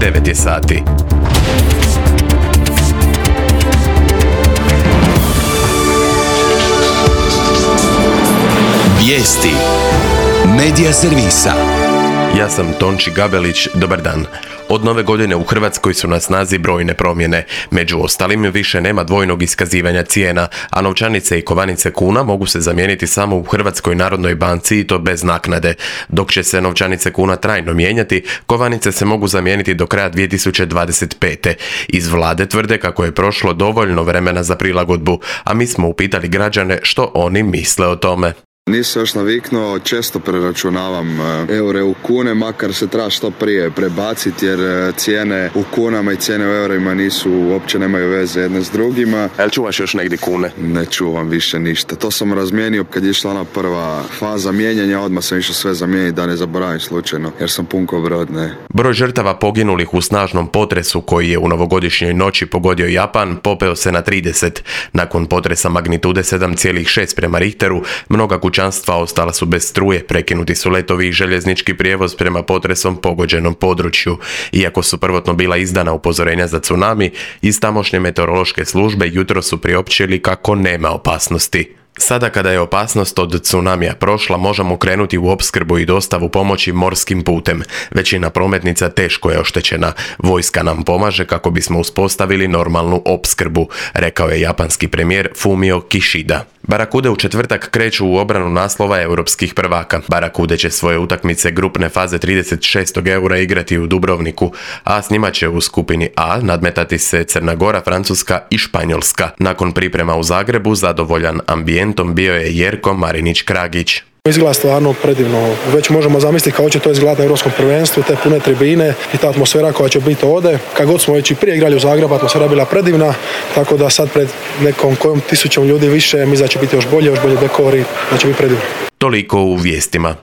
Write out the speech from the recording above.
9 je sati. Vijesti Medija servisa. Ja sam Tonči Gabelić, dobar dan. Od nove godine u Hrvatskoj su na snazi brojne promjene. Među ostalim više nema dvojnog iskazivanja cijena, a novčanice i kovanice kuna mogu se zamijeniti samo u Hrvatskoj narodnoj banci i to bez naknade. Dok će se novčanice kuna trajno mijenjati, kovanice se mogu zamijeniti do kraja 2025. Iz vlade tvrde kako je prošlo dovoljno vremena za prilagodbu, a mi smo upitali građane što oni misle o tome. Nisam još naviknuo, često preračunavam eure u kune, makar se treba što prije prebaciti jer cijene u kunama i cijene u eurima uopće nemaju veze jedne s drugima. Jel čuvaš još negdje kune? Ne čuvam više ništa. To sam razmijenio kad je išla ona prva faza mijenjanja, odmah sam išao sve zamijeniti da ne zaboravim slučajno, jer sam pun ko brod, ne. Broj žrtava poginulih u snažnom potresu koji je u novogodišnjoj noći pogodio Japan popeo se na 30. Nakon potresa magnitude 7,6 prema Richteru, mnoga kućanstva ostala su bez struje, prekinuti su letovi i željeznički prijevoz prema potresom pogođenom području. Iako su prvotno bila izdana upozorenja za tsunami, iz tamošnje meteorološke službe jutros su priopćili kako nema opasnosti. Sada kada je opasnost od tsunamija prošla, možemo krenuti u opskrbu i dostavu pomoći morskim putem. Većina prometnica teško je oštećena. Vojska nam pomaže kako bismo uspostavili normalnu opskrbu, rekao je japanski premijer Fumio Kishida. Barakude u četvrtak kreću u obranu naslova europskih prvaka. Barakude će svoje utakmice grupne faze 36. eura igrati u Dubrovniku, a s njima će u skupini A nadmetati se Crna Gora, Francuska i Španjolska. Nakon priprema u Zagrebu, zadovoljan ambijentom bio je Jerko Marinić-Kragić. Izgleda stvarno predivno. Već možemo zamisliti kako će to izgledati na Europskom prvenstvu, te pune tribine i ta atmosfera koja će biti ovdje. Kad god smo već i prije igrali u Zagrebu, atmosfera bila predivna, tako da sad pred nekom kojom tisućom ljudi više, mislim da će biti još bolje dekori, da će biti predivno. Toliko u vijestima.